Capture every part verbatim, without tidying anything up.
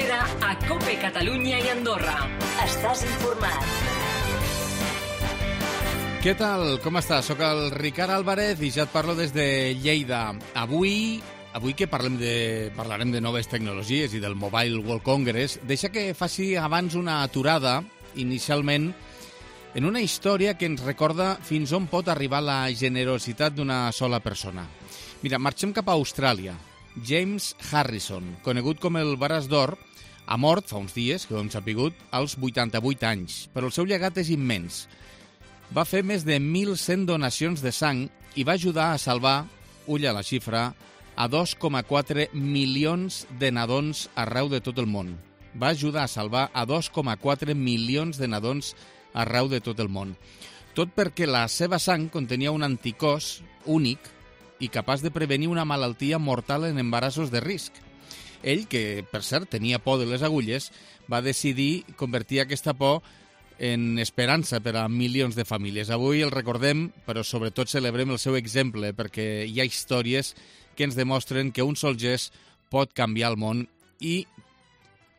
seguida a COPE Catalunya i Andorra. Estàs informat. Què tal? Com estàs? Soc el Ricard Álvarez i ja et parlo des de Lleida. Avui, avui que parlem de, parlarem de noves tecnologies i del Mobile World Congress, deixa que faci abans una aturada, inicialment, en una història que ens recorda fins on pot arribar la generositat d'una sola persona. Mira, marxem cap a Austràlia. James Harrison, conegut com el Braç d'Or, ha mort fa uns dies, que ho hem sapigut, als vuitanta-vuit anys, però el seu llegat és immens. Va fer més de mil cent donacions de sang i va ajudar a salvar, ull a la xifra, a dos coma quatre milions de nadons arreu de tot el món. Va ajudar a salvar a dos coma quatre milions de nadons arreu de tot el món. Tot perquè la seva sang contenia un anticòs únic i capaç de prevenir una malaltia mortal en embarassos de risc. Ell, que per cert tenia por de les agulles, va decidir convertir aquesta por en esperança per a milions de famílies. Avui el recordem, però sobretot celebrem el seu exemple, perquè hi ha històries que ens demostren que un sol gest pot canviar el món i,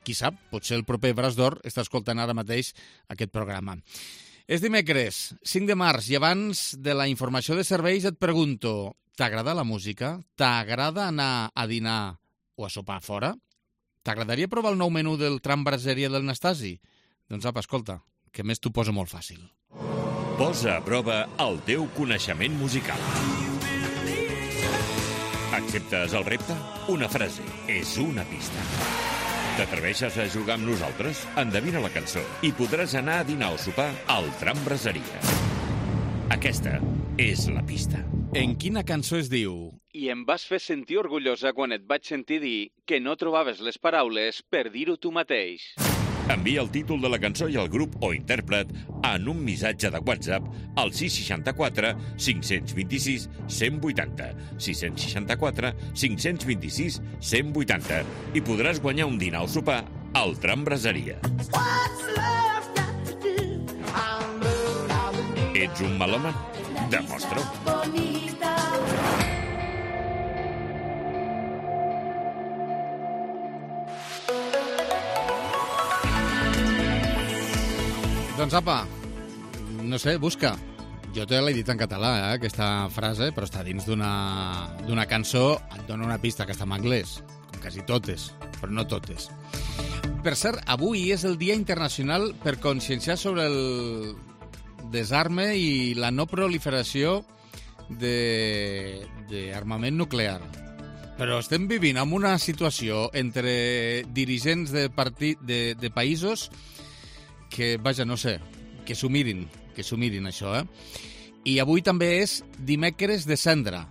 qui sap, potser el proper Braç d'Or està escoltant ara mateix aquest programa. És dimecres, cinc de març, i abans de la informació de serveis et pregunto, t'agrada la música? T'agrada anar a dinar o a sopar fora? T'agradaria provar el nou menú del tram braseria del Nastasi? Doncs apa, escolta, que més t'ho posa molt fàcil. Posa a prova el teu coneixement musical. Acceptes el repte? Una frase és una pista. T'atreveixes a jugar amb nosaltres? Endevina la cançó i podràs anar a dinar o sopar al tram braseria. Aquesta és la pista. En quina cançó es diu? I em vas fer sentir orgullosa quan et vaig sentir dir que no trobaves les paraules per dir-ho tu mateix. Envia el títol de la cançó i el grup o intèrpret en un missatge de WhatsApp al sis seixanta quatre cinc cents vint-i-sis cent vuitanta, sis seixanta quatre cinc cents vint-i-sis cent vuitanta i podràs guanyar un dinar o sopar al tram braseria. Ets un melòman? Demostra-ho. Doncs apa, no sé, busca. Jo te l'he dit en català, eh, aquesta frase, però està dins d'una d'una cançó, et dona una pista que està en anglès, com quasi totes, però no totes. Per cert, avui és el Dia Internacional per conscienciar sobre el desarme i la no proliferació d'armament nuclear. Però estem vivint en una situació entre dirigents de, partit, de, de països que, vaja, no sé, que s'ho mirin, que s'ho mirin, això, eh? I avui també és dimecres de cendra.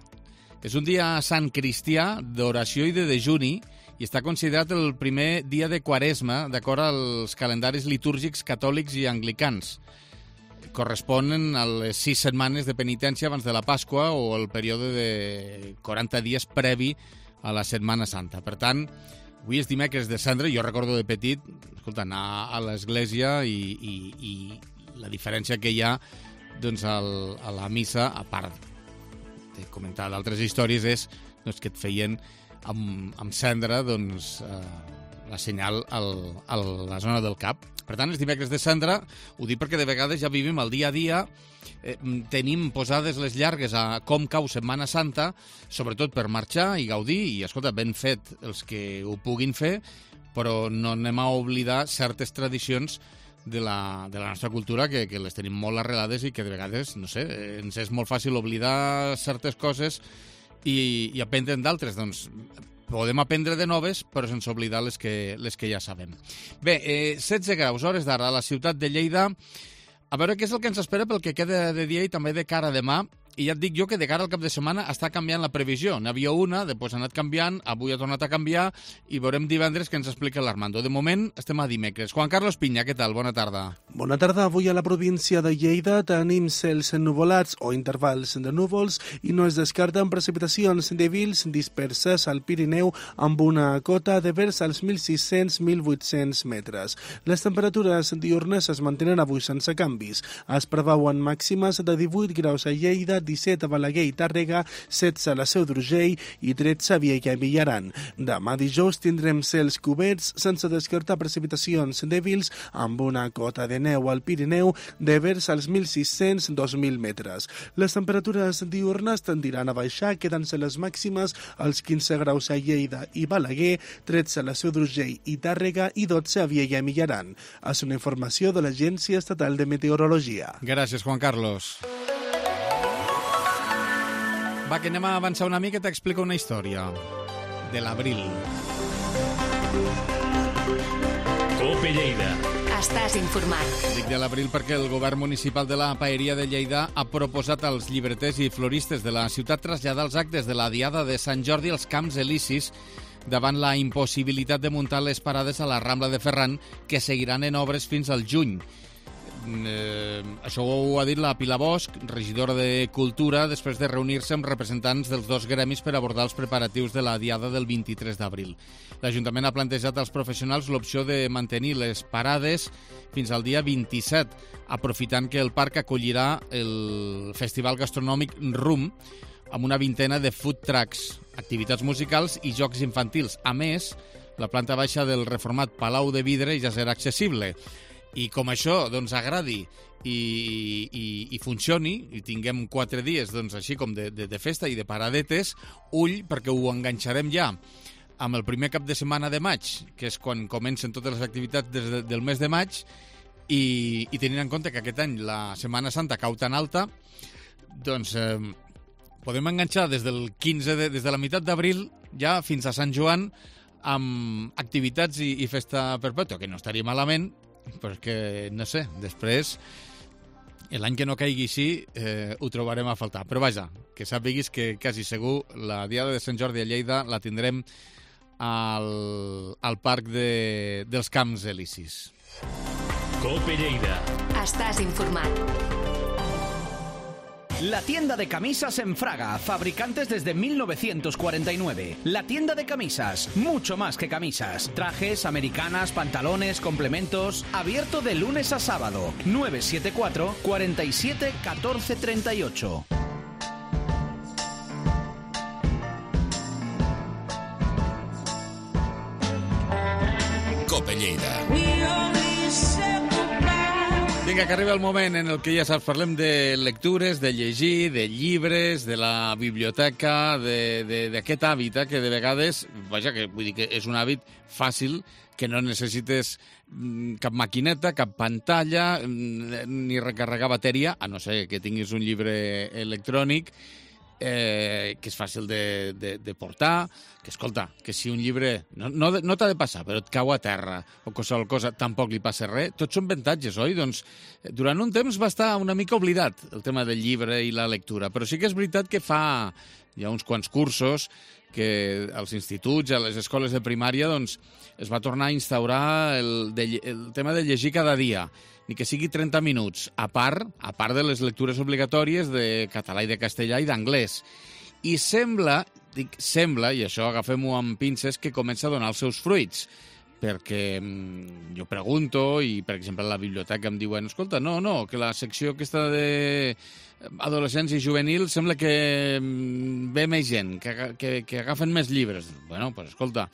És un dia sant cristià d'oració i de dejuni i està considerat el primer dia de Quaresma d'acord als calendaris litúrgics catòlics i anglicans. Corresponen a les sis setmanes de penitència abans de la Pasqua o el període de quaranta dies previ a la Setmana Santa. Per tant, avui és dimecres de cendra. Jo recordo de petit, escolta, anar a l'església i, i, i la diferència que hi ha doncs, al, a la missa, a part de comentar d'altres històries, és doncs, que et feien amb, amb cendra doncs, eh, la senyal al, a la zona del cap. Per tant, els dimecres de cendra, ho dic perquè de vegades ja vivim el dia a dia, eh, tenim posades les llargues a com cau Setmana Santa, sobretot per marxar i gaudir, i escolta, ben fet els que ho puguin fer, però no anem a oblidar certes tradicions de la, de la nostra cultura que, que les tenim molt arrelades i que de vegades, no sé, ens és molt fàcil oblidar certes coses i, i aprendre'n d'altres. Doncs podem aprendre de noves, però sense oblidar les que, les que ja sabem. Bé, eh, setze graus, hores d'ara, a la ciutat de Lleida. A veure què és el que ens espera pel que queda de dia i també de cara a demà. I ja et dic jo que de cara al cap de setmana està canviant la previsió. N'hi havia una, després ha anat canviant, avui ha tornat a canviar i veurem divendres què ens explica l'Armando. De moment estem a dimecres. Juan Carlos Piña, què tal? Bona tarda. Bona tarda. Avui a la província de Lleida tenim cels ennuvolats o intervals de núvols i no es descarten precipitacions dèbils disperses al Pirineu amb una cota de vers als mil sis-cents a mil vuit-cents metres. Les temperatures diurnes es mantenen avui sense canvis. Es preveuen màximes de divuit graus a Lleida, disset a Balaguer i Tàrrega, setze a la Seu d'Urgell i tretze a Viella i Villaran. Demà dijous tindrem cels coberts sense descartar precipitacions dèbils amb una cota de neu al Pirineu de vers als mil sis-cents a dos mil metres. Les temperatures diurnes tendiran a baixar, quedant-se les màximes als quinze graus a Lleida i Balaguer, tretze a la Seu d'Urgell i Tàrrega i dotze a Viella i Villaran. És una informació de l'Agència Estatal de Meteorologia. Gràcies, Juan Carlos. Va, que anem a avançar una mica i t'explico una història de l'abril. Cope Lleida. Estàs informat. Dic de l'abril perquè el govern municipal de la Paeria de Lleida ha proposat als llibreters i floristes de la ciutat traslladar els actes de la Diada de Sant Jordi als Camps Elisis davant la impossibilitat de muntar les parades a la Rambla de Ferran, que seguiran en obres fins al juny. Eh, això ho ha dit la Pilar Bosch, regidora de Cultura, després de reunir-se amb representants dels dos gremis per abordar els preparatius de la Diada del vint-i-tres d'abril. L'Ajuntament ha plantejat als professionals l'opció de mantenir les parades fins al dia vint-i-set, aprofitant que el parc acollirà el Festival Gastronòmic Rum, amb una vintena de food trucks, activitats musicals i jocs infantils. A més, la planta baixa del reformat Palau de Vidre ja serà accessible. I com això doncs, agradi i, i, i funcioni, i tinguem quatre dies doncs, així com de, de, de festa i de paradetes, ull, perquè ho enganxarem ja amb el primer cap de setmana de maig, que és quan comencen totes les activitats des de, del mes de maig, i, i tenint en compte que aquest any la Setmana Santa cau tan alta, doncs eh, podem enganxar des del quinze de, des de la meitat d'abril ja fins a Sant Joan amb activitats i, i festa perpètua, que no estaria malament, perquè, no sé, després, l'any que no caigui així, eh, ho trobarem a faltar. Però vaja, que sàpiguis que quasi segur la Diada de Sant Jordi a Lleida la tindrem al, al Parc de, dels Camps Elisis. Cope Lleida. Estàs informat. La tienda de camisas en Fraga, fabricantes desde mil novecientos cuarenta y nueve. La tienda de camisas, mucho más que camisas. Trajes, americanas, pantalones, complementos. Abierto de lunes a sábado. nueve siete cuatro, cuatro siete, uno cuatro tres ocho. Cope Lleida. Vinga, que arriba el moment en el que ja saps, parlem de lectures, de llegir, de llibres, de la biblioteca, d'aquest hàbit, eh, que de vegades, vaja, que vull dir que és un hàbit fàcil, que no necessites cap maquineta, cap pantalla, ni recarregar bateria, a no ser que tinguis un llibre electrònic, eh, que és fàcil de, de, de portar, que, escolta, que si un llibre no, no, no t'ha de passar, però et cau a terra o qualsevol cosa, tampoc li passa res, tots són avantatges, oi? Doncs durant un temps va estar una mica oblidat el tema del llibre i la lectura, però sí que és veritat que fa hi ha uns quants cursos que als instituts, a les escoles de primària, doncs es va tornar a instaurar el, de, el tema de llegir cada dia, ni que sigui trenta minuts, a part, a part de les lectures obligatòries de català i de castellà i d'anglès. I sembla, dic sembla, i això agafem-ho amb pinces, que comença a donar els seus fruits, perquè jo pregunto, i per exemple a la biblioteca em diuen, escolta, no, no, que la secció aquesta de adolescents i juvenils sembla que ve més gent, que, que, que agafen més llibres. Bueno, doncs pues, escolta,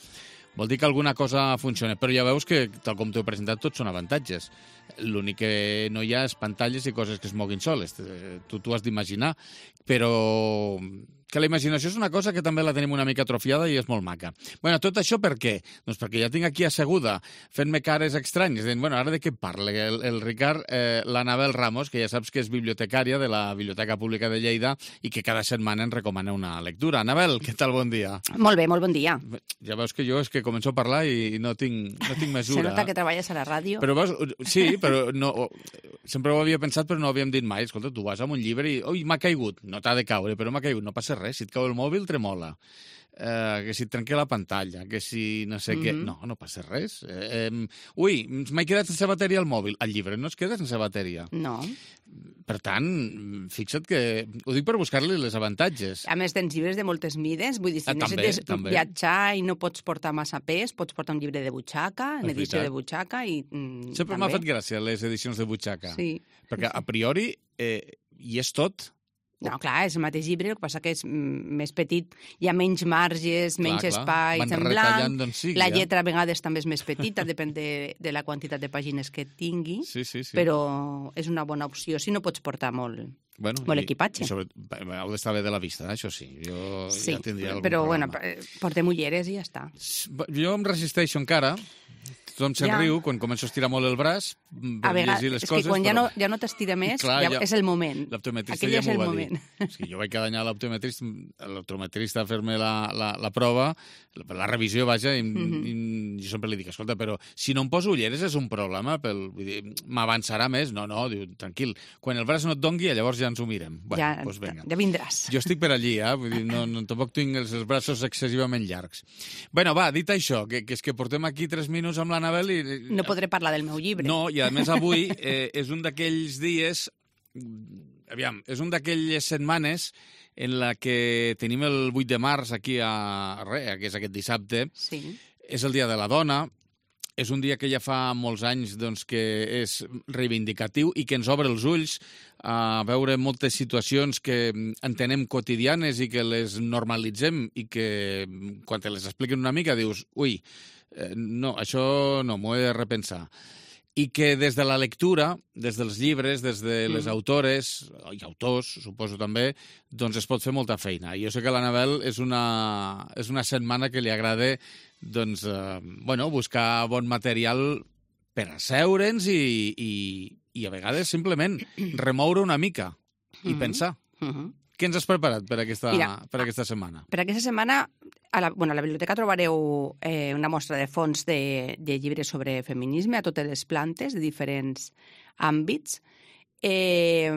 vol dir que alguna cosa funciona, però ja veus que, tal com t'ho he presentat, tots són avantatges. L'únic que no hi ha és pantalles i coses que es moguin soles. Tu t'ho has d'imaginar, però que la imaginació és una cosa que també la tenim una mica atrofiada i és molt maca. Bueno, tot això per què? Doncs perquè ja tinc aquí asseguda, fent-me cares estranyes, dient, bueno, ara de què parla? El, el Ricard, eh, l'Anabel Ramos, que ja saps que és bibliotecària de la Biblioteca Pública de Lleida i que cada setmana ens recomana una lectura. Anabel, què tal? Bon dia. Molt bé, molt bon dia. Ja veus que jo és que començo a parlar i no tinc, no tinc mesura. Se nota que treballes a la ràdio. Però veus, sí, però no, sempre ho havia pensat, però no ho havíem dit mai. Escolta, tu vas amb un llibre i, ui, m'ha caigut. No t'ha de caure, però m'ha caigut. No passa res. Si et cau el mòbil, tremola. Eh, que si et trenca la pantalla, que si no sé mm-hmm. què... No, no passa res. Eh, eh, ui, m'he quedat sense bateria al mòbil. El llibre no es queda sense bateria. No. Per tant, fixa't que... Ho dic per buscar-li les avantatges. A més, tens llibres de moltes mides. Vull dir, si ah, necessites també, viatjar i no pots portar massa pes, pots portar un llibre de butxaca, en edició de butxaca i... Mm, sempre m'ha fet gràcia les edicions de butxaca. Sí. Perquè a priori eh, hi és tot. No, clar, és el mateix llibre, el que passa que és més petit, hi ha menys marges, menys clar, espais en blanc, sigui, la lletra a vegades també és més petita, depèn de, de la quantitat de pàgines que tingui, sí, sí, sí. Però és una bona opció si no pots portar molt, bueno, molt i, equipatge. I sobre, heu d'estar bé de la vista, això sí. Jo sí, ja tindria algun però problema. Bueno, portem ulleres i ja està. Jo em resisteixo encara. Tothom se'n ja. riu quan començo a estirar molt el braç per a vegades, llegir les és coses. És que quan però... ja no, ja no t'estira més, clar, ja, ja és el moment. L'optometrista Aquell ja és m'ho el va moment. dir. És que jo vaig cada any a l'optometrista, l'optometrista a fer-me la, la, la prova, la, la revisió, vaja, i, mm-hmm. i jo sempre li dic, escolta, però si no em poso ulleres és un problema, pel, vull dir, m'avançarà més? No, no, diu, tranquil, quan el braç no et dongui, llavors ja ens ho mirem. Bueno, ja, doncs vinga. Ja vindràs. Jo estic per allí, eh? Vull dir, no, no, tampoc tinc els, els braços excessivament llargs. Bueno, va, dit això, que, que és que portem aquí tres minuts amb l'Anabel i... No podré parlar del meu llibre. No, i a més avui eh, és un d'aquells dies, aviam, és un d'aquelles setmanes en la que tenim el vuit de març aquí a Rea, que és aquest dissabte. Sí. És el Dia de la Dona, és un dia que ja fa molts anys doncs, que és reivindicatiu i que ens obre els ulls a veure moltes situacions que entenem quotidianes i que les normalitzem i que quan te les expliquen una mica dius, ui, Eh, no, això no, m'ho he de repensar. I que des de la lectura, des dels llibres, des de les mm. autores, i autors, suposo també, doncs es pot fer molta feina. I jo sé que l'Anabel és una, és una setmana que li agrada doncs, eh, bueno, buscar bon material per asseure'ns i, i, i a vegades simplement remoure una mica i mm-hmm. pensar. Mm-hmm. Què ens has preparat per aquesta, Mira, per aquesta setmana? Per aquesta setmana, a la, bueno, a la biblioteca trobareu eh, una mostra de fons de, de llibres sobre feminisme a totes les plantes, de diferents àmbits. Eh,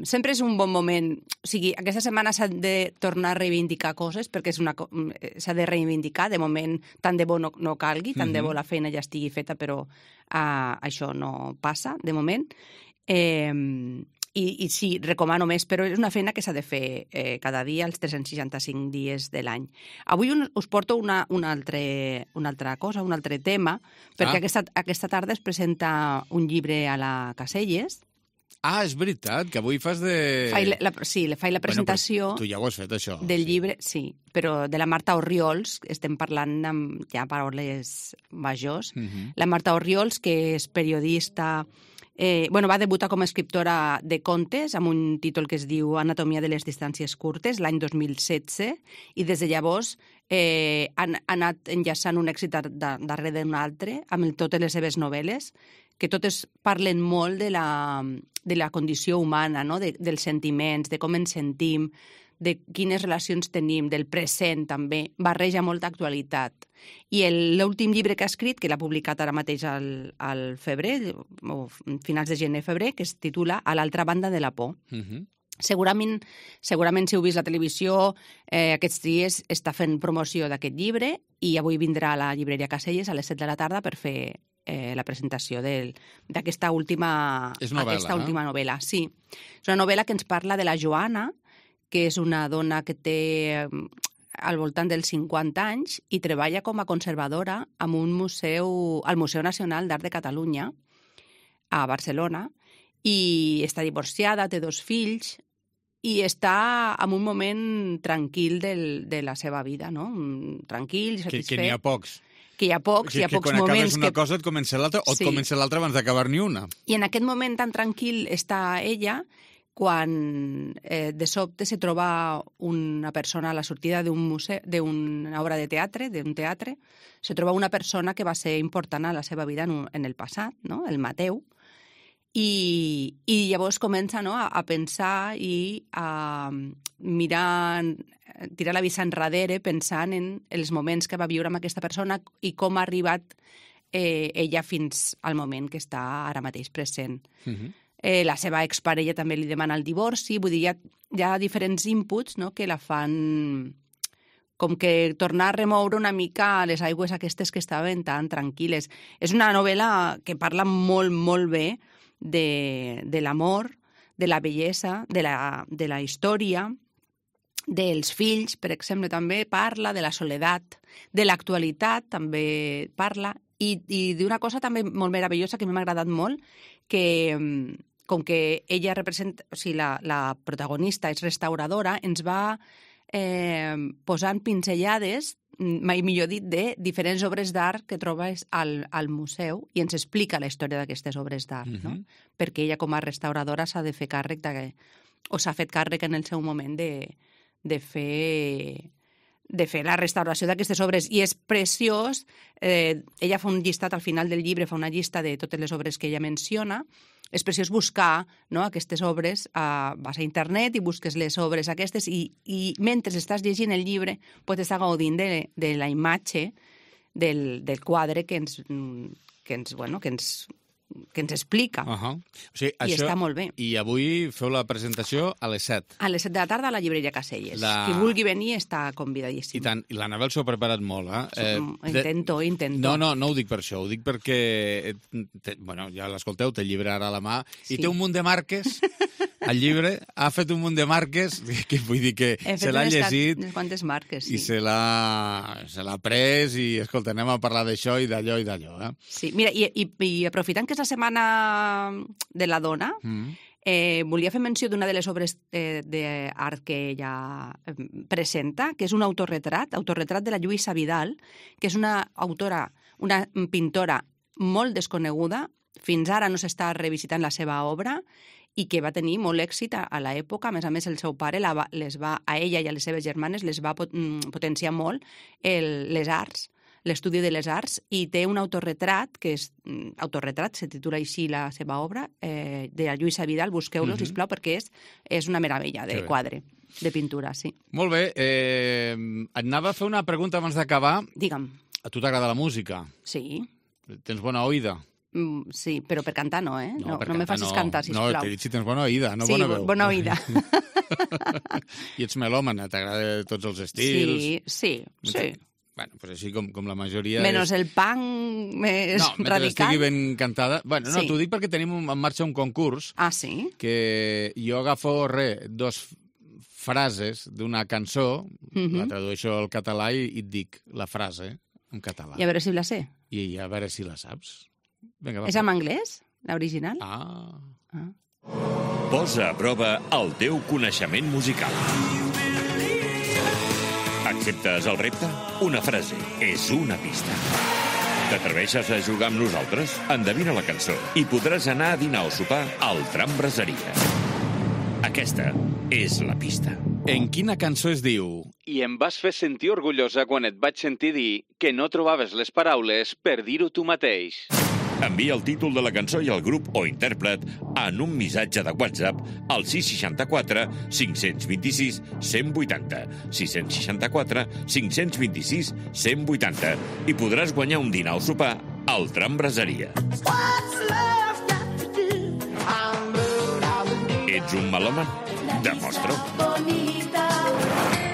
sempre és un bon moment... O sigui, aquesta setmana s'ha de tornar a reivindicar coses, perquè és una, s'ha de reivindicar. De moment, tant de bo no, no calgui, tant mm-hmm. de bo la feina ja estigui feta, però uh, això no passa, de moment. Eh... I, I sí, recomano més, però és una feina que s'ha de fer eh, cada dia, els tres-cents seixanta-cinc dies de l'any. Avui un, us porto una, una, altre, una altra cosa, un altre tema, perquè ah. aquesta, aquesta tarda es presenta un llibre a la Caselles. Ah, és veritat, que avui fas de... Fai la, sí, le faig la presentació... Bueno, tu ja ho has fet, això. Del sí. llibre, sí, però de la Marta Orriols, estem parlant amb ja paraules majors. Uh-huh. La Marta Orriols, que és periodista... Eh, bueno, va debutar com a escriptora de contes amb un títol que es diu Anatomia de les distàncies curtes l'any dos mil setze i des de llavors eh, han, han anat enllaçant un èxit darrere d'un altre amb totes les seves novel·les que totes parlen molt de la, de la condició humana, no? de, dels sentiments, de com ens sentim, de quines relacions tenim, del present també, barreja molta actualitat. I l'últim llibre que ha escrit, que l'ha publicat ara mateix al, al febrer, o finals de gener-febrer, que es titula A l'altra banda de la por. Uh-huh. Segurament, segurament si heu vist la televisió, eh, aquests dies està fent promoció d'aquest llibre i avui vindrà a la llibreria Caselles a les set de la tarda per fer eh, la presentació d'aquesta última, novel·la, aquesta eh? última novel·la. Sí. És una novel·la que ens parla de la Joana, que és una dona que té al voltant dels cinquanta anys i treballa com a conservadora en un museu, al Museu Nacional d'Art de Catalunya, a Barcelona, i està divorciada, té dos fills, i està en un moment tranquil del, de la seva vida, no? Tranquil, satisfet. Que, que n'hi ha pocs. Que hi ha pocs, que, hi ha pocs moments... Que quan acabes una que... cosa et comença l'altra, o sí. et comença l'altra abans d'acabar ni una. I en aquest moment tan tranquil està ella... quan eh, de sobte se troba una persona a la sortida d'un museu, d'una obra de teatre, d'un teatre, se troba una persona que va ser important a la seva vida en, un, en el passat, no? El Mateu, i, i llavors comença, no? a, a pensar i a mirar, tirar la vista enrere pensant en els moments que va viure amb aquesta persona i com ha arribat eh, ella fins al moment que està ara mateix present. Uh-huh. Eh, la seva exparella també li demana el divorci, vull dir, hi ha, hi ha diferents inputs, no?, que la fan com que tornar a remoure una mica les aigües aquestes que estaven tan tranquil·les. És una novel·la que parla molt, molt bé de, de l'amor, de la bellesa, de la, de la història, dels fills, per exemple, també parla de la soledat, de l'actualitat també parla, i, i d'una cosa també molt meravellosa que a mi m'ha agradat molt, que com que ella representa, o sigui, la, la protagonista és restauradora, ens va eh, posant pinzellades, mai millor dit, de diferents obres d'art que trobes al, al museu i ens explica la història d'aquestes obres d'art, uh-huh. no? Perquè ella com a restauradora s'ha de fer càrrec de, o s'ha fet càrrec en el seu moment de, de fer... de fer la restauració d'aquestes obres, i és preciós. Eh, ella fa un llistat al final del llibre, fa una llista de totes les obres que ella menciona. És preciós buscar, no, aquestes obres, eh, vas a internet i busques les obres aquestes, i, i mentre estàs llegint el llibre pots estar gaudint de, de la imatge del, del quadre que ens, que ens, bueno, que ens, que ens explica. Uh-huh. O sigui, I això, està molt bé. I avui feu la presentació a les set. A les set de la tarda a la llibreria Caselles. La... Qui vulgui venir està convidadíssim. I tant. I l'Anabel s'ho ha preparat molt, eh? eh intento, de... intento. No, no, no ho dic per això, ho dic perquè, te, bueno, ja l'escolteu, té el llibre ara a la mà, sí. I té un munt de marques, el llibre, ha fet un munt de marques, que vull dir que se l'ha llegit... unes quantes marques, sí. I se l'ha, se l'ha pres, i, escolta, anem a parlar d'això i d'allò i d'allò, eh? Sí, mira, i, i, i aprofitant que és la setmana de la dona, mm. eh, volia fer menció d'una de les obres eh, d'art que ella eh, presenta, que és un autorretrat, autorretrat de la Lluïsa Vidal, que és una autora, una pintora molt desconeguda, fins ara no s'està revisitant la seva obra, i que va tenir molt èxit a, a l'època. A més a més, el seu pare la va, les va, a ella i a les seves germanes les va pot, potenciar molt el, les arts, l'estudi de les arts, i té un autorretrat, que és autorretrat, se titula així la seva obra, eh, de la Lluïsa Vidal, busqueu-lo, uh-huh. sisplau, perquè és, és una meravella de quadre, de pintura, sí. Molt bé, eh, et anava a fer una pregunta abans d'acabar. Digue'm. A tu t'agrada la música? Sí. Tens bona oïda? Mm, sí, però per cantar no, eh? No, no, no me facis no. cantar, sisplau. No, t'he dit si tens bona oïda, no sí, bona veu. Sí, bona oïda. I ets melòmana, t'agrada tots els estils? Sí, sí, sí. Bueno, pues així com, com la majoria... Menys és... el punk més no, radical. No, mentre estigui ben cantada... Bueno, no, sí. t'ho dic perquè tenim en marxa un concurs. Ah, sí? Que jo agafo, re, dos frases d'una cançó, uh-huh. la tradueixo al català i, i et dic la frase en català. I a veure si la sé. I a veure si la saps. Vinga, va. És en anglès, l'original? Ah. ah. Posa a prova el teu coneixement musical. Acceptes el repte? Una frase és una pista. T'atreveixes a jugar amb nosaltres? Endevina la cançó i podràs anar a dinar o sopar al Tram Braseria. Aquesta és la pista. En quina cançó es diu "I em vas fer sentir orgullosa quan et vaig sentir dir que no trobaves les paraules per dir-ho tu mateix"? Envia el títol de la cançó i el grup o intèrpret en un missatge de WhatsApp al sis seixanta-quatre cinc cents vint-i-sis cent vuitanta, sis seixanta-quatre cinc cents vint-i-sis cent vuitanta, i podràs guanyar un dinar o sopar al Tram Braseria. Ets un melòman? Demostra-ho.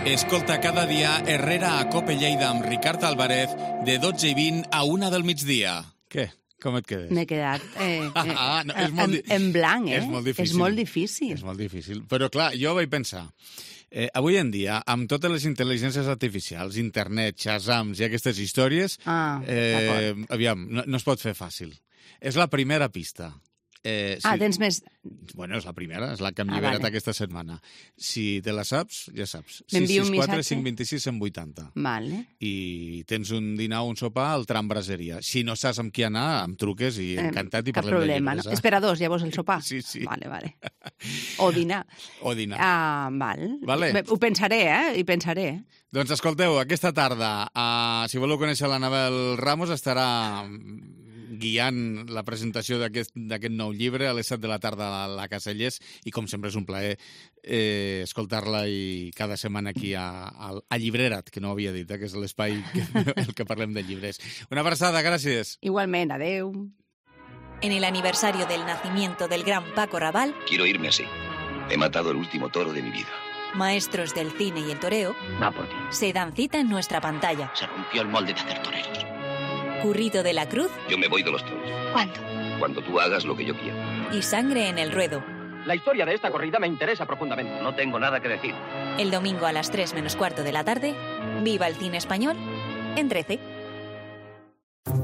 Escolta cada dia Herrera a Cope Lleida amb Ricard Álvarez de dotze i vint a una del migdia. Què? Com et quedes? M'he quedat eh, eh, ah, no, és molt en, en blanc, eh? És molt difícil. És molt difícil. És molt difícil. Però, clar, jo vaig pensar, eh, avui en dia, amb totes les intel·ligències artificials, internet, Shazams i aquestes històries, ah, eh, aviam, no, no es pot fer fàcil. És la primera pista. Eh, si... Ah, tens més... Bueno, és la primera, és la que hem lliberat ah, vale. aquesta setmana. Si te la saps, ja saps. sis sis quatre cinc dos sis cent vuitanta. Vale. I tens un dinar o un sopar al Tram Braseria. Si no saps amb qui anar, em truques i encantat i Cap parlem problema, de llibres. No? Espera dos, llavors el sopar? Sí, sí. Vale, vale. O dinar. O dinar. Ah, val. Vale. Ho pensaré, eh? Hi pensaré. Doncs escolteu, aquesta tarda, uh, si voleu conèixer l'Anabel Ramos, estarà guiant la presentació d'aquest nou llibre a les set de la tarda a la Caselles, i com sempre és un plaer eh, escoltar-la i cada setmana aquí a, a, a Llibrerat, que no ho havia dit, eh, que és l'espai que, el que parlem de llibres. Una abraçada, gràcies. Igualment, adeu. En el aniversario del nacimiento del gran Paco Rabanne, quiero irme así. He matado el último toro de mi vida. Maestros del cine y el toreo, Va por ti. se dan cita en nuestra pantalla. Se rompió el molde de hacer toreros. Currito de la Cruz. Yo me voy de los toros. ¿Cuándo? Cuando tú hagas lo que yo quiero. Y Sangre en el ruedo. La historia de esta corrida me interesa profundamente. No tengo nada que decir. El domingo a las tres menos cuarto de la tarde, viva el cine español en trece.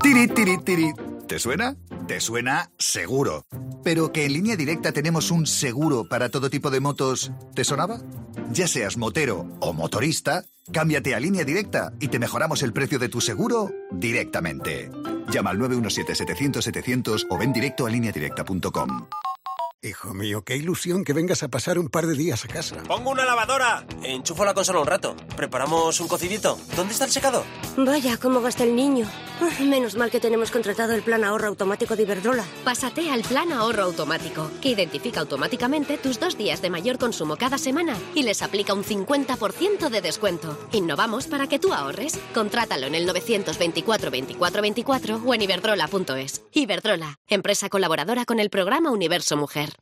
Tiri, tiri, tiri. ¿Te suena? Te suena seguro. Pero que en Línea Directa tenemos un seguro para todo tipo de motos, ¿te sonaba? Ya seas motero o motorista, cámbiate a Línea Directa y te mejoramos el precio de tu seguro directamente. Llama al nueve uno siete, setecientos, setecientos o ven directo a línea directa punto com. Hijo mío, qué ilusión que vengas a pasar un par de días a casa. ¡Pongo una lavadora! Enchufo la consola un rato. ¿Preparamos un cocidito? ¿Dónde está el secador? Vaya, cómo gasta el niño. Menos mal que tenemos contratado el plan ahorro automático de Iberdrola. Pásate al plan ahorro automático, que identifica automáticamente tus dos días de mayor consumo cada semana y les aplica un cincuenta por ciento de descuento. Innovamos para que tú ahorres. Contrátalo en el novecientos veinticuatro veinticuatro veinticuatro o en iberdrola punto es. Iberdrola, empresa colaboradora con el programa Universo Mujer.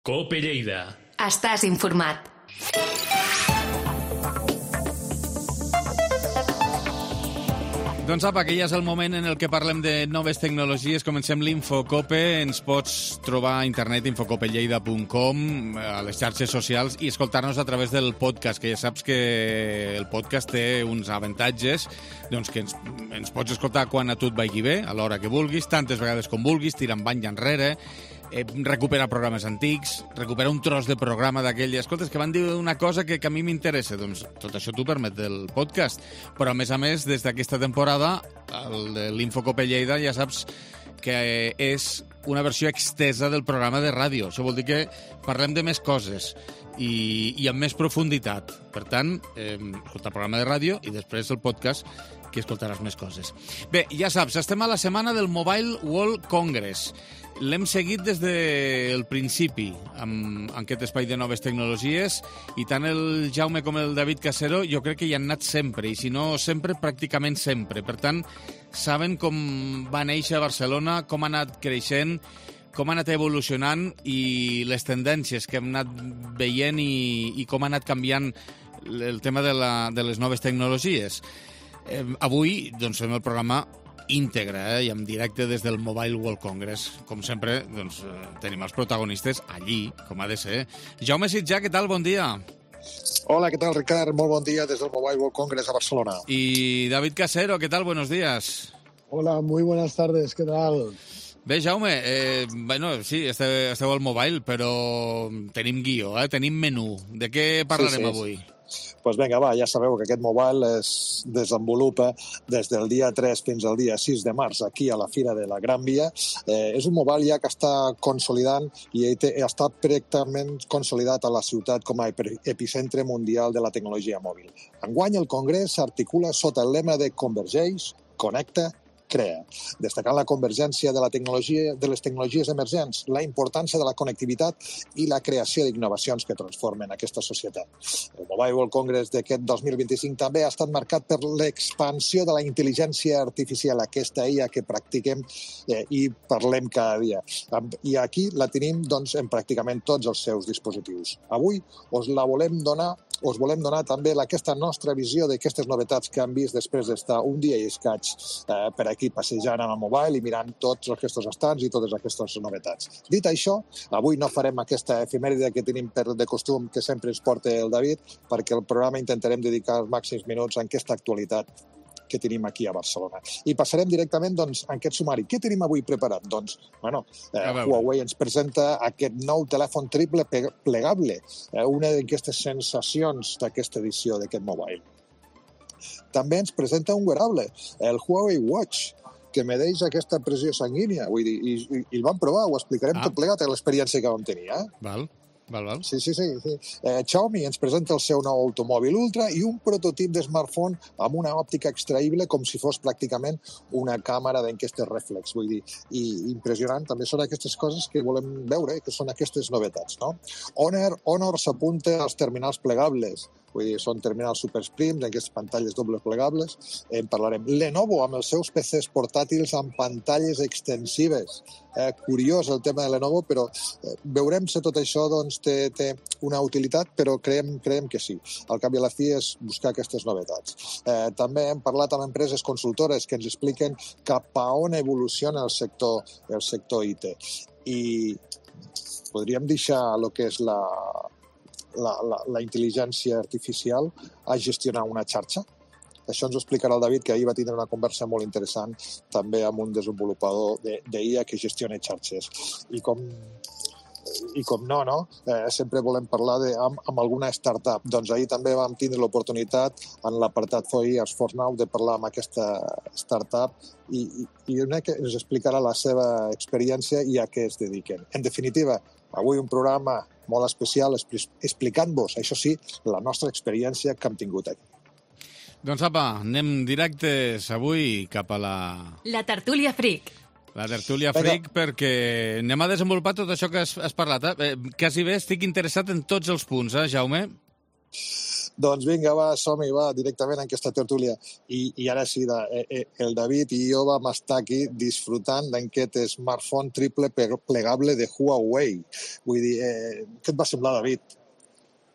Cope Lleida. Estàs informat. Doncs apa, que ja és el moment en el que parlem de noves tecnologies. Comencem l'Infocope. Ens pots trobar a internet infocopelleida punt com, a les xarxes socials i escoltar-nos a través del podcast, que ja saps que el podcast té uns avantatges, doncs que ens, ens pots escoltar quan a tu et vagi bé, a l'hora que vulguis, tantes vegades com vulguis, tirant bany enrere, eh, recuperar programes antics, recuperar un tros de programa d'aquell, escolta, que van dir una cosa que, que a mi m'interessa, doncs tot això t'ho permet del podcast, però a més a més, des d'aquesta temporada, el de l'Infocope Lleida ja saps que és una versió extesa del programa de ràdio. Això vol dir que parlem de més coses i, i amb més profunditat. Per tant, eh, escoltar el programa de ràdio i després el podcast, que escoltaràs més coses. Bé, ja saps, estem a la setmana del Mobile World Congress. L'hem seguit des del principi, amb, amb aquest espai de noves tecnologies, i tant el Jaume com el David Casero jo crec que hi han anat sempre, i si no sempre, pràcticament sempre. Per tant, saben com va néixer a Barcelona, com ha anat creixent, com ha anat evolucionant i les tendències que hem anat veient i, i com ha anat canviant el tema de, la, de les noves tecnologies. Eh, avui doncs, fem el programa íntegre, eh, i en directe des del Mobile World Congress. Com sempre, doncs, eh, tenim els protagonistes allí, com ha de ser. Jaume Sitjà, què tal? Bon dia. Hola, ¿qué tal, Ricard? Muy buen día desde el Mobile World Congress a Barcelona. Y David Casero, ¿qué tal? Buenos días. Hola, muy buenas tardes, ¿qué tal? Bé, Jaume, eh, bueno, sí, esteu, esteu al mobile, però tenim guió, eh? Tenim menú. De què parlarem sí, sí. avui? Pues vinga, va, ja sabeu que aquest mobile es desenvolupa des del dia tres fins al dia sis de març aquí a la Fira de la Gran Via. Eh, és un mobile ja que està consolidant i està pràcticament consolidat a la ciutat com a epicentre mundial de la tecnologia mòbil. Enguany el congrés s'articula sota el lema de Convergeix, Connecta, Crea, destacant la convergència de, la tecnologia, de les tecnologies emergents, la importància de la connectivitat i la creació d'innovacions que transformen aquesta societat. El Mobile World Congress d'aquest dos mil vint-i-cinc també ha estat marcat per l'expansió de la intel·ligència artificial, aquesta I A que practiquem eh, i parlem cada dia. I aquí la tenim doncs, en pràcticament tots els seus dispositius. Avui us la volem donar us volem donar també aquesta nostra visió d'aquestes novetats que han vist després d'estar un dia i escaig eh, per aquí passejant amb el mobile i mirant tots aquests estants i totes aquestes novetats. Dit això, avui no farem aquesta efemèride que tenim per de costum que sempre ens porta el David, perquè el programa intentarem dedicar els màxims minuts a aquesta actualitat que tenim aquí a Barcelona. I passarem directament doncs, a aquest sumari. Què tenim avui preparat? Doncs, bueno, eh, Huawei ens presenta aquest nou telèfon triple plegable, eh, una d'aquestes sensacions d'aquesta edició d'aquest mobile. També ens presenta un wearable, el Huawei Watch, que medeix aquesta pressió sanguínia. Vull dir, i, i, i el vam provar, ho explicarem ah. tot plegat a l'experiència que vam tenir. Eh? Val. Val, val. Sí, sí, sí. sí. Eh, Xiaomi ens presenta el seu nou automòbil Ultra i un prototip de smartphone amb una òptica extraïble com si fos pràcticament una càmera d'enquestes reflex. Vull dir, i impressionant. També són aquestes coses que volem veure, que són aquestes novetats, no? Honor, Honor s'apunta als terminals plegables. Vull dir, són terminals supersprims, aquestes pantalles dobles plegables. En parlarem. Lenovo, amb els seus P Cs portàtils amb pantalles extensives. Eh, curiós el tema de Lenovo, però eh, veurem si tot això doncs, té, té una utilitat, però creiem, creiem que sí. Al cap i a la fi és buscar aquestes novetats. Eh, també hem parlat amb empreses consultores que ens expliquen cap a on evoluciona el sector, el sector I T. I podríem deixar el que és la... La, la, la intel·ligència artificial a gestionar una xarxa, Això ens ho explicarà el David, que ahir va tindre una conversa molt interessant també amb un desenvolupador d'I A que gestiona xarxes. I com i com no, no? Eh, sempre volem parlar de, amb, amb alguna startup. Doncs ahir també vam tindre l'oportunitat en l'apartat four years for now de parlar amb aquesta startup i, i, i una que ens explicarà la seva experiència i a què es dediquen. En definitiva, avui un programa molt especial explicant-vos, això sí, la nostra experiència que hem tingut aquí. Doncs apa, anem directes avui cap a la... La tertúlia fric. La tertúlia fric, perquè anem a desenvolupar tot això que has, has parlat. Eh? Quasi bé estic interessat en tots els punts, eh, Jaume? Doncs vinga, va, som-hi, va, directament en aquesta tertúlia. I, i ara sí, da, eh, el David i jo vam estar aquí disfrutant d'aquest smartphone triple plegable de Huawei. Vull dir, eh, què et va semblar, David?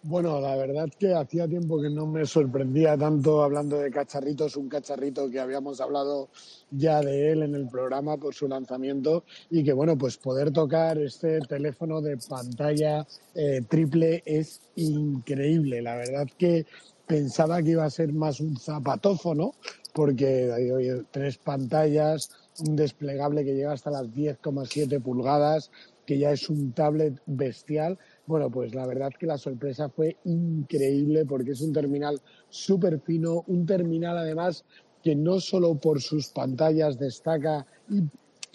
Bueno, la verdad que hacía tiempo que no me sorprendía tanto hablando de cacharritos, un cacharrito que habíamos hablado ya de él en el programa por su lanzamiento y que, bueno, pues poder tocar este teléfono de pantalla eh, triple es increíble. La verdad que pensaba que iba a ser más un zapatófono porque hay tres pantallas, un desplegable que llega hasta las diez coma siete pulgadas, que ya es un tablet bestial. Bueno, pues la verdad que la sorpresa fue increíble porque es un terminal súper fino, un terminal además que no solo por sus pantallas destaca y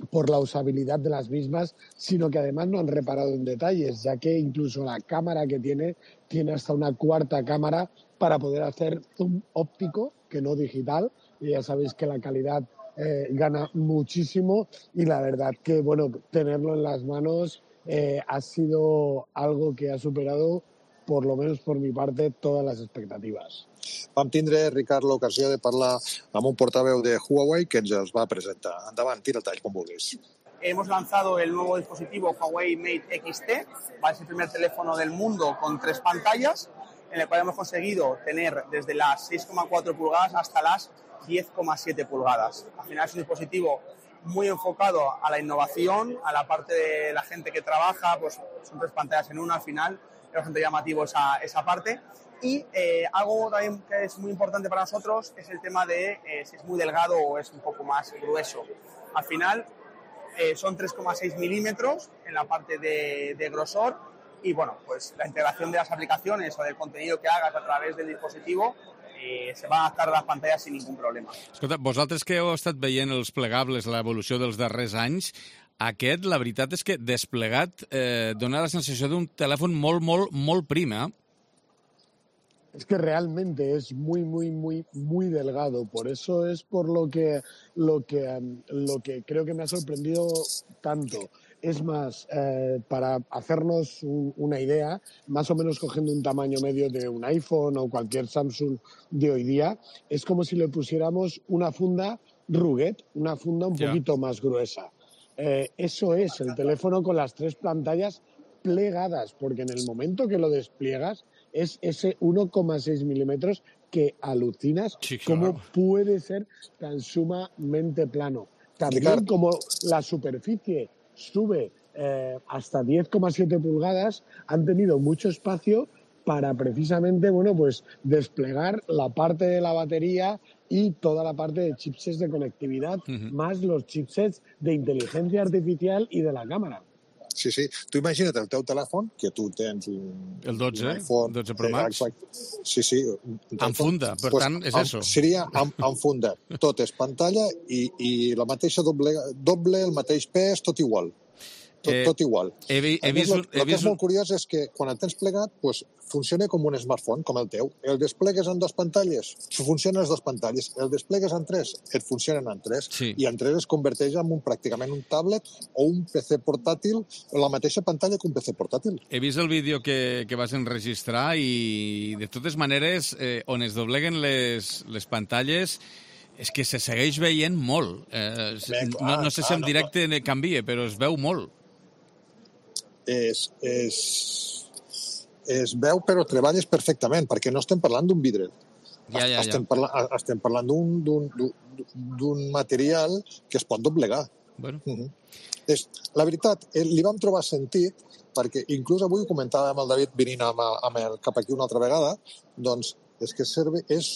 por la usabilidad de las mismas, sino que además no han reparado en detalles, ya que incluso la cámara que tiene, tiene hasta una cuarta cámara para poder hacer zoom óptico, que no digital, y ya sabéis que la calidad eh, gana muchísimo y la verdad que, bueno, tenerlo en las manos eh, ha sido algo que ha superado, por lo menos por mi parte, todas las expectativas. Vam tindre, Ricard, l'ocasió de parlar amb un portaveu de Huawei que ens els va presentar. Endavant, tira el tall, com vulguis. Hemos lanzado el nuevo dispositivo Huawei Mate X T, va a ser el primer teléfono del mundo con tres pantallas, en el cual hemos conseguido tener desde las seis coma cuatro pulgadas hasta las diez coma siete pulgadas. Al final es un dispositivo muy enfocado a la innovación, a la parte de la gente que trabaja, pues son tres pantallas en una al final, es bastante llamativo esa, esa parte. Y eh, algo también que es muy importante para nosotros es el tema de eh, si es muy delgado o es un poco más grueso. Al final eh, son tres coma seis milímetros en la parte de, de grosor y bueno, pues la integración de las aplicaciones o del contenido que hagas a través del dispositivo eh, se va a adaptar a las pantallas sin ningún problema. Escolta, vosaltres que heu estat veient els plegables, l'evolució dels darrers anys, aquest, la veritat és que desplegat eh, dona la sensació d'un telèfon molt, molt, molt prim, eh? Es que realmente es muy, muy, muy, muy delgado. Por eso es por lo que, lo que, lo que creo que me ha sorprendido tanto. Es más, eh, para hacernos un, una idea, más o menos cogiendo un tamaño medio de un iPhone o cualquier Samsung de hoy día, es como si le pusiéramos una funda Rugged, una funda un poquito más gruesa. Eh, eso es el teléfono con las tres pantallas plegadas, porque en el momento que lo despliegas es ese uno coma seis milímetros que alucinas sí, claro. Cómo puede ser tan sumamente plano. También claro. Como la superficie sube eh, hasta diez coma siete pulgadas, han tenido mucho espacio para precisamente, bueno, pues desplegar la parte de la batería y toda la parte de chipsets de conectividad, uh-huh. Más los chipsets de inteligencia artificial y de la cámara. Sí, sí. Tu imagina't el teu telèfon, que tu tens un... El dotze, un iPhone, el dotze Pro Max. Exacte. Sí, sí. En funda, per pues, tant, és en, això. Seria en, en funda. Tot és pantalla i, i la mateixa doble, doble, el mateix pes, tot igual. Tot, eh, tot igual. He, he, he vist, el, el he que vist... és molt curiós és que quan el tens plegat, pues, funciona com un smartphone, com el teu. El desplegues en dues pantalles, funcionen les dues pantalles. El desplegues en tres, et funcionen en tres. Sí. I en tres es converteix en un, pràcticament un tablet o un P C portàtil, la mateixa pantalla que un P C portàtil. He vist el vídeo que, que vas enregistrar i, de totes maneres, eh, on es dobleguen les, les pantalles, és que se segueix veient molt. Eh, Bé, clar, no, no sé si en directe no, canvia, però es veu molt. Es, es, es veu, però treballes perfectament, perquè no estem parlant d'un vidre. Ja, ja, estem, ja. parla, estem parlant d'un material que es pot doblegar. Bueno. Uh-huh. És, la veritat, li vam trobar sentit, perquè inclús avui ho comentàvem amb el David venint amb, amb el, cap aquí una altra vegada, doncs és que serve, és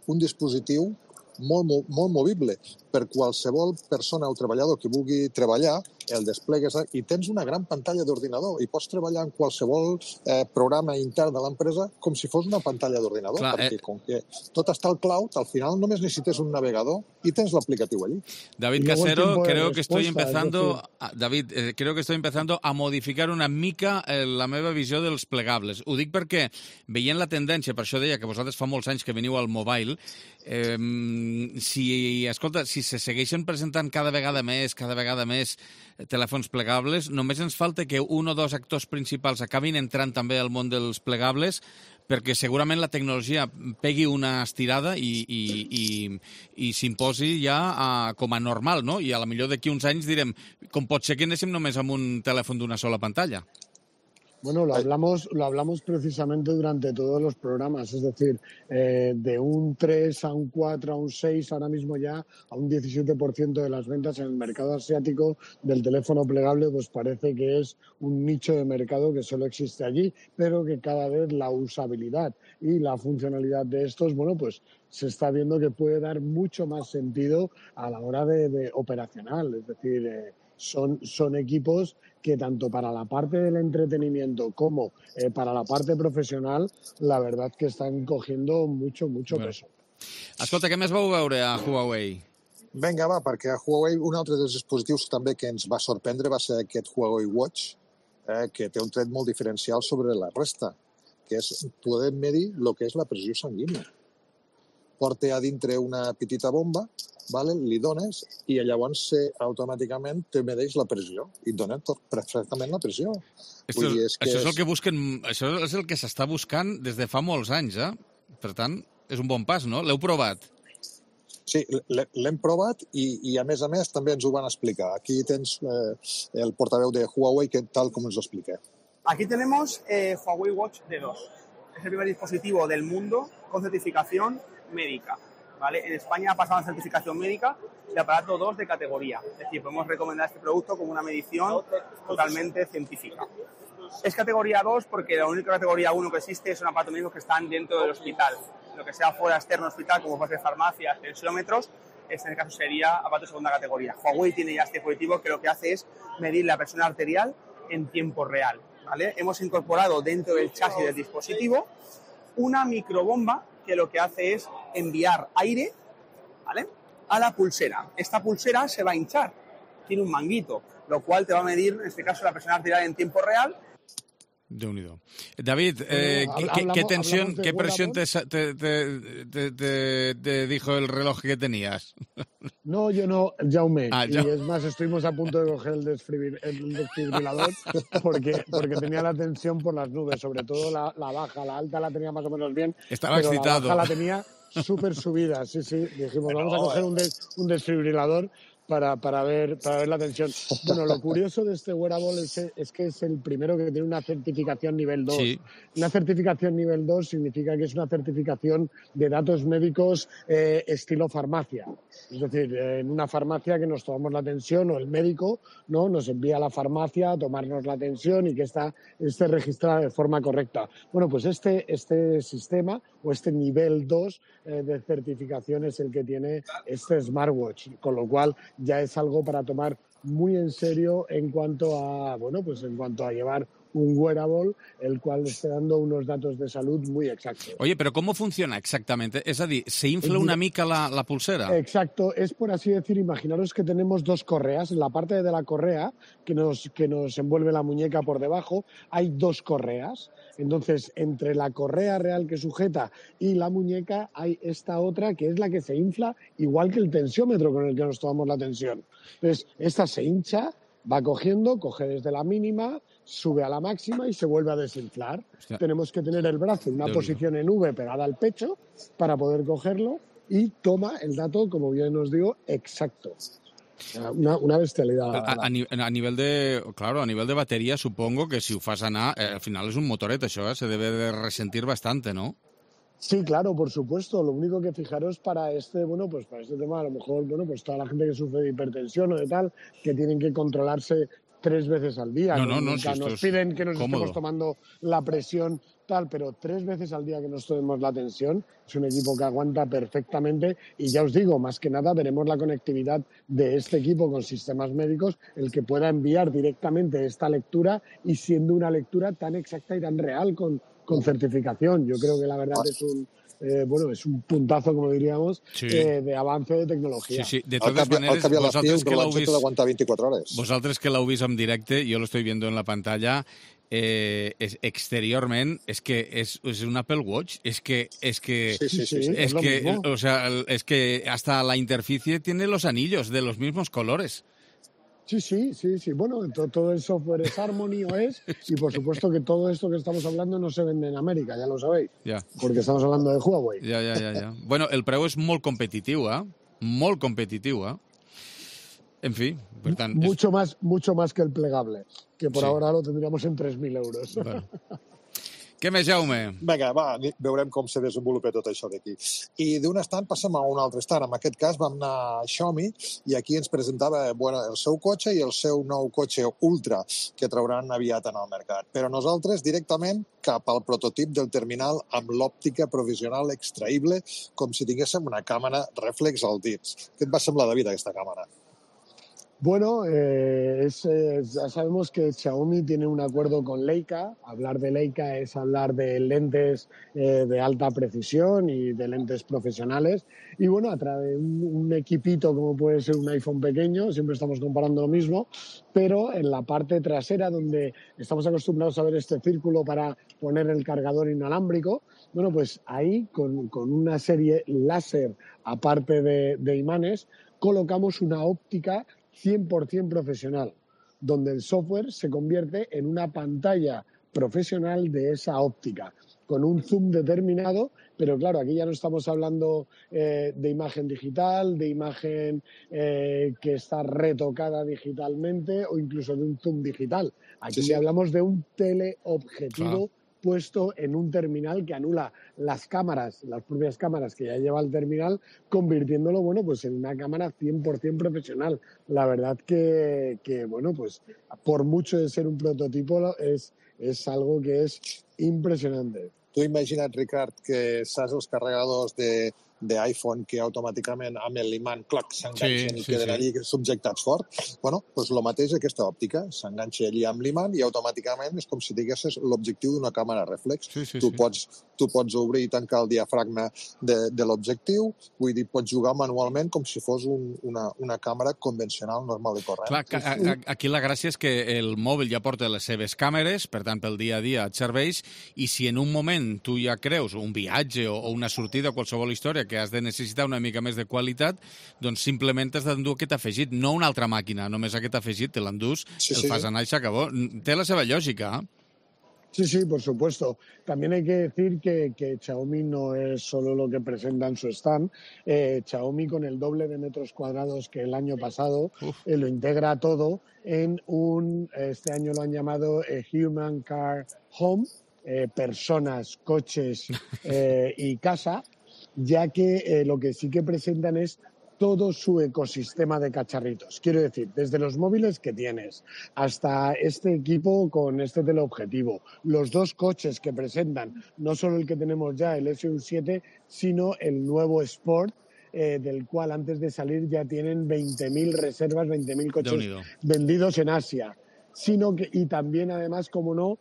un dispositiu molt, molt, molt movible. Per qualsevol persona o treballador que vulgui treballar, el desplegues i tens una gran pantalla d'ordinador i pots treballar en qualsevol eh, programa intern de l'empresa com si fos una pantalla d'ordinador, Clar, perquè eh... com que tot està al cloud, al final només necessites un navegador i tens l'aplicatiu allí. David Casero, creo que estoy empezando, David, eh, creo que estoy empezando a modificar una mica eh, la meva visió dels plegables. Ho dic perquè, veient la tendència, per això deia que vosaltres fa molts anys que veniu al mobile, eh, si, escolta, si se segueixen presentant cada vegada més, cada vegada més telèfons plegables, només ens falta que un o dos actors principals acabin entrant també al món dels plegables, perquè segurament la tecnologia pegui una estirada i, i, i, i s'imposi ja a, com a normal, no? I a la millor d'aquí uns anys direm, com pot ser que anéssim només amb un telèfon d'una sola pantalla? Bueno, lo hablamos, lo hablamos precisamente durante todos los programas, es decir, eh, de un tres a un cuatro a un seis, ahora mismo ya a un diecisiete por ciento de las ventas en el mercado asiático del teléfono plegable, pues parece que es un nicho de mercado que solo existe allí, pero que cada vez la usabilidad y la funcionalidad de estos, bueno, pues se está viendo que puede dar mucho más sentido a la hora de, de operacional, es decir, eh, Son, son equipos que tanto para la parte del entretenimiento como eh, para la parte profesional, la verdad que están cogiendo mucho, mucho bueno. peso. Escolta, què més vau veure a Huawei? Vinga, va, perquè a Huawei un altre dels dispositius també que ens va sorprendre va ser aquest Huawei Watch, eh, que té un tret molt diferencial sobre la resta, que és poder medir el que és la pressió sanguínia. Porta a dintre una petita bomba, vale? Li dones i llavors eh, automàticament te medeix la pressió i et dona perfectament la pressió. Esto, Vull dir, és que això és el que busquen, això és el que s'està buscant des de fa molts anys, eh? Per tant, és un bon pas, no? L'heu provat? Sí, l'hem provat i, i a més a més també ens ho van explicar. Aquí tens eh, el portaveu de Huawei que tal com ens ho explica. Aquí tenemos eh, Huawei Watch D dos. Es el primer dispositivo del mundo con certificación médica. ¿Vale? En España ha pasado la certificación médica de aparato dos de categoría. Es decir, podemos recomendar este producto como una medición totalmente científica. Es categoría dos porque la única categoría uno que existe son aparatos médicos que están dentro del hospital. Lo que sea fuera externo hospital, como puede ser farmacias, tensiómetros, este en el caso sería aparato de segunda categoría. Huawei tiene ya este dispositivo que lo que hace es medir la presión arterial en tiempo real. ¿Vale? Hemos incorporado dentro del chasis del dispositivo una microbomba que lo que hace es enviar aire, ¿vale?, a la pulsera. Esta pulsera se va a hinchar, tiene un manguito, lo cual te va a medir, en este caso, la presión arterial en tiempo real. Déu-n'hi-do. David, eh, bueno, ¿qué, hablamos, ¿qué tensión, qué presión te, te, te, te, te dijo el reloj que tenías? No, yo no, Jaume. Ah, y ya. es más, estuvimos a punto de coger el, desfibril, el desfibrilador porque, porque tenía la tensión por las nubes, sobre todo la, la baja, la alta la tenía más o menos bien. Estaba pero excitado. La baja la tenía súper subida, sí, sí. Dijimos, pero... vamos a coger un, des, un desfibrilador para, para, ver, para ver la tensión. Bueno, lo curioso de este wearable es, es que es el primero que tiene una certificación nivel dos. Sí. Una certificación nivel dos significa que es una certificación de datos médicos eh, estilo farmacia. Es decir, eh, en una farmacia que nos tomamos la tensión o el médico, ¿no?, nos envía a la farmacia a tomarnos la tensión y que esta, esté registrada de forma correcta. Bueno, pues este, este sistema o este nivel dos eh, de certificación es el que tiene este smartwatch, con lo cual ya es algo para tomar muy en serio en cuanto a, bueno, pues en cuanto a llevar un wearable, el cual esté dando unos datos de salud muy exactos. Oye, pero ¿cómo funciona exactamente? Es decir, ¿se infla una mica la, la pulsera? Exacto, es por así decir, imaginaros que tenemos dos correas. En la parte de la correa que nos, que nos envuelve la muñeca por debajo, hay dos correas. Entonces, entre la correa real que sujeta y la muñeca hay esta otra que es la que se infla, igual que el tensiómetro con el que nos tomamos la tensión. Entonces, esta se hincha, va cogiendo, coge desde la mínima, sube a la máxima y se vuelve a desinflar. Hostia. Tenemos que tener el brazo en una Dios posición Dios. en V pegada al pecho para poder cogerlo y toma el dato, como bien os digo, exacto. Una, una bestialidad. A, a, a nivel de, claro, a nivel de batería, supongo que si ho fas anar, eh, al final es un motoret, això, eh? Se debe de resentir bastante, ¿no? Sí, claro, por supuesto. Lo único que fijaros para este, bueno, pues para este tema, a lo mejor, bueno, pues toda la gente que sufre de hipertensión o de tal, que tienen que controlarse tres veces al día. No, no, no, Nunca si nos esto es piden que nos cómodo. estemos tomando la presión tal, pero tres veces al día que nos tomemos la tensión. Es un equipo que aguanta perfectamente y ya os digo, más que nada veremos la conectividad de este equipo con sistemas médicos, el que pueda enviar directamente esta lectura y siendo una lectura tan exacta y tan real con, con certificación. Yo creo que la verdad es un Eh, bueno, és un puntazo, com diríamos, sí. eh, de avance de tecnologia. Sí, sí. De totes maneres, vosaltres que l'heu vist... aguantar veinticuatro horas. Vosaltres que l'heu vist en directe, jo lo estoy viendo en la pantalla, eh, es, exteriorment, es que es, es un Apple Watch, es que... Es que, sí, sí, sí, sí, es, es que o sea, es que hasta la interficie tiene los anillos de los mismos colores. Sí, sí, sí, sí. Bueno, todo, todo el software es Harmony O S y por supuesto que todo esto que estamos hablando no se vende en América, ya lo sabéis. Ja. Porque estamos hablando de Huawei. Ja, ja, ja, ja. Bueno, el preu és molt competitiu, eh? Molt competitiu, eh? En fi, per tant... Mucho, és... más, mucho más que el plegable, que por sí. ahora lo tendríamos en tres mil euros. Bueno. Què més, Jaume? Vinga, va, veurem com se desenvolupa tot això d'aquí. I d'un estant passem a un altre estant. En aquest cas vam anar a Xiaomi i aquí ens presentava bueno, el seu cotxe i el seu nou cotxe Ultra que trauran aviat en el mercat. Però nosaltres directament cap al prototip del terminal amb l'òptica provisional extraïble com si tinguéssim una càmera reflex al dins. Què et va semblar, David, aquesta càmera? Bueno, eh, es, es, ya sabemos que Xiaomi tiene un acuerdo con Leica. Hablar de Leica es hablar de lentes eh, de alta precisión y de lentes profesionales. Y bueno, a través de un, un equipito como puede ser un iPhone pequeño, siempre estamos comparando lo mismo, pero en la parte trasera donde estamos acostumbrados a ver este círculo para poner el cargador inalámbrico, bueno, pues ahí con, con una serie láser aparte de, de imanes, colocamos una óptica cien por ciento profesional, donde el software se convierte en una pantalla profesional de esa óptica, con un zoom determinado, pero claro, aquí ya no estamos hablando eh, de imagen digital, de imagen eh, que está retocada digitalmente o incluso de un zoom digital. Aquí sí, sí. hablamos de un teleobjetivo ah. puesto en un terminal que anula las cámaras, las propias cámaras que ya lleva el terminal, convirtiéndolo, bueno, pues en una cámara cien por ciento profesional. La verdad que, que bueno, pues por mucho de ser un prototipo, es, es algo que és impressionante. Tu imagina't, Ricard, que saps els carregadors de d'iPhone que automàticament amb l'imant cloc s'enganxen sí, i sí, queden sí. allí subjectats fort. Bueno, doncs el mateix aquesta òptica. S'enganxa allí amb l'imant i automàticament és com si diguessis l'objectiu d'una càmera reflex. Sí, sí, tu, sí. Pots, tu pots obrir i tancar el diafragma de, de l'objectiu, vull dir, pots jugar manualment com si fos un, una, una càmera convencional, normal i corrent. Clar, a, a, aquí la gràcia és que el mòbil ja porta les seves càmeres, per tant, pel dia a dia et serveix, i si en un moment tu ja creus un viatge o, o una sortida o qualsevol història que has de necessitar una mica més de qualitat, doncs simplement has d'endur aquest afegit, no una altra màquina, només aquest afegit te l'endús, sí, el sí. fas anar i s'acabó. Té la seva lògica, eh? Sí, sí, por supuesto. También hay que decir que, que Xiaomi no es solo lo que presenta en su stand. Eh, Xiaomi, con el doble de metros cuadrados que el año pasado, eh, lo integra todo en un, este año lo han llamado eh, Human Car Home, eh, personas, coches eh, y casa, ya que eh, lo que sí que presentan es todo su ecosistema de cacharritos. Quiero decir, desde los móviles que tienes hasta este equipo con este teleobjetivo, los dos coches que presentan, no solo el que tenemos ya, el S U siete, sino el nuevo Sport, eh, del cual antes de salir ya tienen veinte mil reservas, veinte mil coches vendidos en Asia. Sino que, y también, además, como no,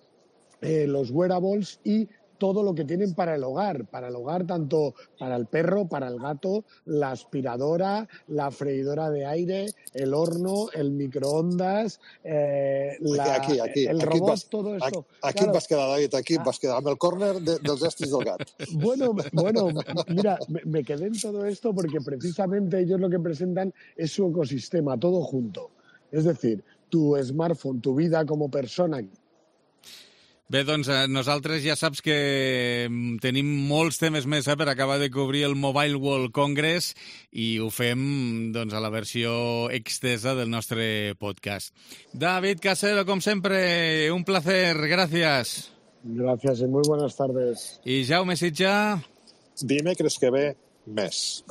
eh, los wearables y todo lo que tienen para el hogar, para el hogar tanto para el perro, para el gato, la aspiradora, la freidora de aire, el horno, el microondas, eh, la, aquí, aquí, el aquí robot, vas, todo esto. Aquí, aquí claro. et vas quedar, David, aquí et vas quedar amb el córner de, dels estris del gat. Bueno, bueno, mira, me, me quedé en todo esto porque precisamente ellos lo que presentan es su ecosistema, todo junto. Es decir, tu smartphone, tu vida como persona. Bé, doncs nosaltres ja saps que tenim molts temes més eh, per acabar de cobrir el Mobile World Congress i ho fem doncs, a la versió extesa del nostre podcast. David Casero, com sempre, un placer, gracias. Gracias y muy buenas tardes. I Jaume Sitja? Dimecres que ve, més.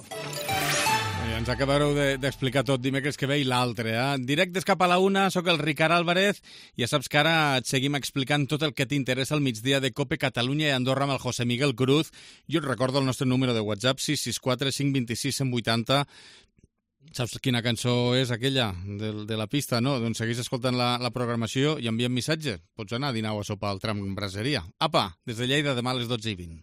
Ens acabareu d'explicar tot dimecres que ve i l'altre. Eh? Directes cap a la una, sóc el Ricard Álvarez. Ja saps que ara et seguim explicant tot el que t'interessa al migdia de COPE Catalunya i Andorra amb el José Miguel Cruz. Jo et recordo el nostre número de WhatsApp, sis sis quatre cinc dos sis cent vuitanta. Saps quina cançó és aquella de, de la pista, no? Doncs segueix escoltant la, la programació i enviem missatge. Pots anar a dinar o a sopar al tram brasseria. Apa, des de Lleida, demà a les dotze i vint.